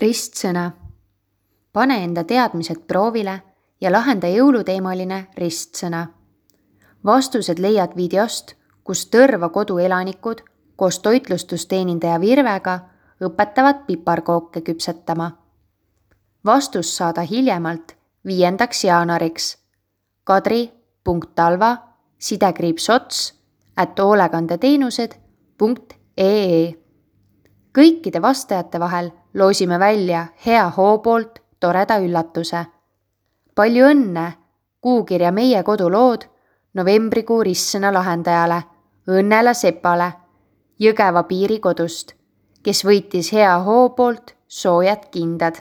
Ristsõna. Pane enda teadmised proovile ja lahenda jõuluteemaline ristsõna. Vastused leiad videost, kus Tõrva kodu elanikud koos toitlustusteenindaja Virvega õpetavad piparkooke küpsetama. Vastus saada hiljemalt 5. jaanuariks kadri.talva@hoolekandeteenused.ee. Kõikide vastajate vahel loosime välja Hea Hoo poolt toreda üllatuse. Palju õnne kuukirja Meie kodulood novembrikuu ristsõna lahendajale Õnnela Sepale Jõgeva piirikodust, kes võitis Hea Hoo poolt soojad kindad.